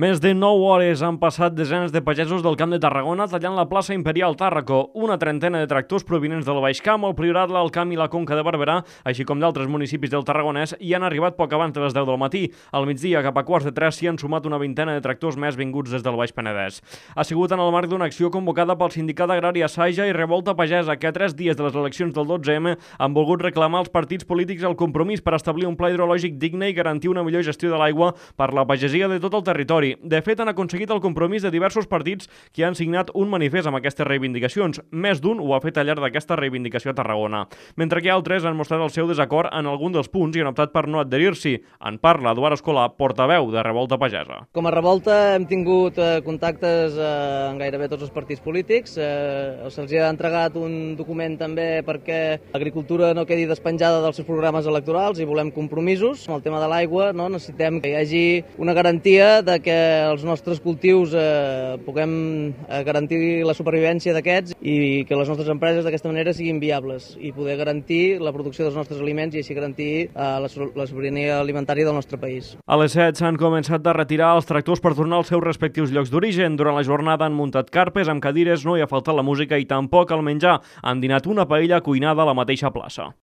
Més de 9 hores han passat desenes de pagesos del Camp de Tarragona tallant la plaça Imperial Tàrraco. Una trentena de tractors provinents del Baix Camp, el Priorat, l'Alt Camp i la Conca de Barberà, així com d'altres municipis del Tarragonès, hi han arribat poc abans de les 10 del matí. Al migdia, cap a quarts de 3, s'hi han sumat una vintena de tractors més vinguts des del Baix Penedès. Ha sigut en el marc d'una acció convocada pel Sindicat Agrari Saja i Revolta Pagesa, que a 3 dies de les eleccions del 12M han volgut reclamar als partits polítics el compromís per establir un pla hidrològic digne i garantir una millor gestió de l'aigua per la pagesia de tot el territori. De fet, han aconseguit el compromís de diversos partits que han signat un manifest amb aquestes reivindicacions. Més d'un ho ha fet al llarg d'aquesta reivindicació a Tarragona. Mentre que altres han mostrat el seu desacord en algun dels punts i han optat per no adherir-s'hi. En parla Eduard Escolà, portaveu de Revolta Pagesa. Com a Revolta hem tingut contactes amb gairebé tots els partits polítics. Se'ls ha entregat un document també perquè l'agricultura no quedi despenjada dels seus programes electorals i volem compromisos. Amb el tema de l'aigua necessitem que hi hagi una garantia de que els nostres cultius puguem garantir la supervivència d'aquests i que les nostres empreses d'aquesta manera siguin viables i poder garantir la producció dels nostres aliments i així garantir la sobirania alimentària del nostre país. A les 7 s'han començat a retirar els tractors per tornar als seus respectius llocs d'origen. Durant la jornada han muntat carpes amb cadires, no hi ha faltat la música i tampoc el menjar. Han dinat una paella cuinada a la mateixa plaça.